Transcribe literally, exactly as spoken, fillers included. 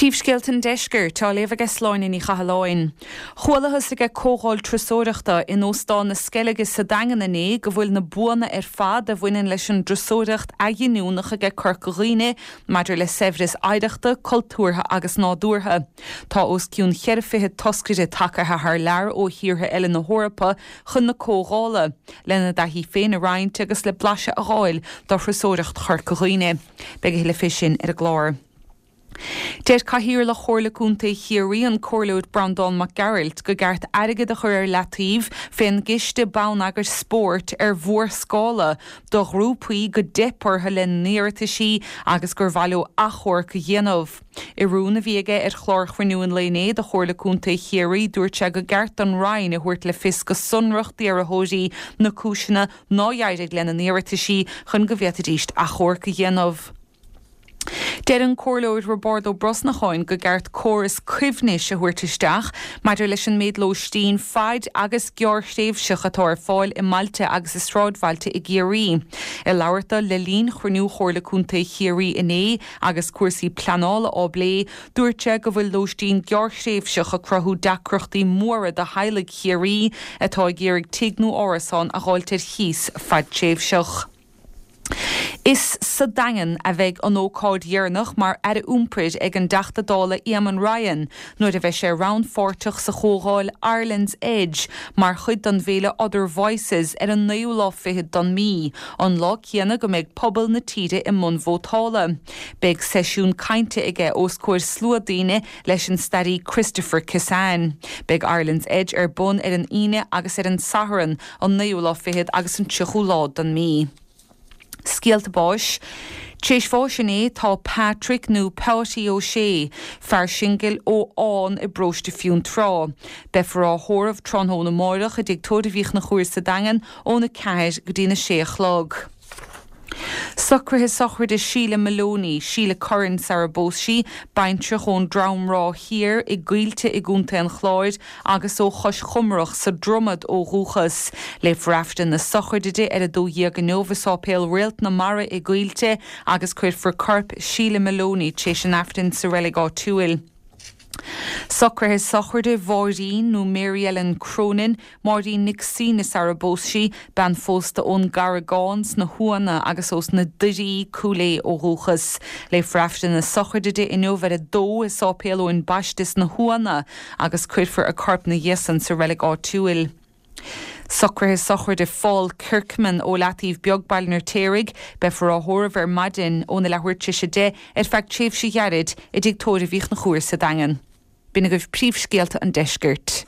Príomhscéalta an Deiscirt á léamh ag Sláine Ní Chathalláin. Chualathas ag comhdháil turasóireachta in Óstán na Sceilge sa Daingean inné go bhfuil na buanna ar fad a bhaineann leis an dturasóireacht athghiniúnach ag Corca Dhuibhne maidir le saibhreas oidhreachta, cultúrtha agus nádúrtha. Tá os cionn ceithre fiche toscaire tagtha thar lear ó thíortha eile na hEorpa chun na comhdhála, lena dtaithí féin a roinnt agus le blaiseadh a fháil de thurasóireacht Chorca Dhuibhne. Beidh le fé sin ar an gclár. Deir Cathaoirleach Chomhairle Contae Chiarraí an Comhairleoir Breandán Mac Gearailt go gceart airgead a chur ar leataobh fén gciste bonneagair spóirt ar mhórscála do ghrúpaí go dteip orthu lena n-iarrataisí agus gur mhaith leo achomharc a dhéanamh. I rún a bhí aige ar chlár chruinniú an lae inné de Chomhairle Contae Chiarraí dúirt sé go gceart don Roinn a thabhairt le fios go sonrach d'iarrthóirí na cúiseanna nár éirigh lena n-iarrataisí chun go bhféadfaidís achomharc a dhéanamh. Deir an Comhairleoir Roibeárd Ó Brosnacháin go gceart córas cuibhnis a thabhairt isteach maidir leis an méid lóistín fad agus gearrthréimhseach atá ar fáil i mbailte agus i sráidbhailte i gCiarraí. I labhairt dó le linn chruinniú Chomhairle Contae Chiarraí inné agus cúrsaí pleanála á bplé, dúirt sé go bhfuil lóistín gearrthréimhseach ag cruthú deacrachtaí móra do theaghlaigh Chiarraí atá ag iarraidh tigh nó árasán a fháilt ar chíos fadtréimhseach. Is sa Daingean a bheidh an ócáid dheireanach mar Aire Iompair ag an dTeachta Dála Eamon Ryan nuair a bheidh sé rannpháirteach sa chomhdháil Ireland's Edge mar chuid den bhféile Other Voices ar an naoú lá fichead den mhí, an lá céanna go mbeidh pobal na tíre i mbun vótála. Beidh seisiún cainte aige os comhair slua daoine leis an staraí Christopher Kissane. Beidh Ireland's Edge ar bun ar an Aoine agus ar an Satharn an naoú lá fichead agus an tríochú lá den mhí. Scéalta báis. Tar éis bháis inné tá Patrick nó Páty Ó Sé, fear singil ó Fhán i bparóiste Fionntrá. Beifear á thórramh tráthnóna amárach i dTigh Tórraimh Uí Chonchúir sa Daingean óna ceathair go dtí na sé a chlog. Socruithe sochraide Síle Maloney, Síle Curran sara bpós sí, baintreach ón Dramráth Thiar i gCoillte i gContae an Chláir agus ó Chois Chomrach sa Dromad ó dhúchas. Léifear Aifreann na sochraide di ar a dó dhéag inniu i Sáipéal Réalt na Mara i gCoillte agus cuirfear corp Síle Maloney tar éis an Aifrinn sa reilig áitiúil. Socruithe sochraide Mháirín nó Mary Ellen Cronin, Máirín Nic Suibhne sara bpós sí, bean phósta ón gCarragán sna hUanna agus ós na Doirí Cúil Aodha ó dhúchas. Léifear Aifreann na sochraide di inniu ar a dó i Sáipéal Eoin Baiste sna hUanna agus cuirfear a corp ina dhiaidh san sa reilig áitiúil. Socruithe sochraide Paul Kirkman ó Leataobh Beag Baile an Fheirtéaraigh, beifear á thórramh ar maidin óna leathuair tar éis a deich ar feadh tréimhse ghairid i dTigh Tórraimh Uí Chonchúir sa Daingean. B'in agaibh príomhscéalta an deiscirt.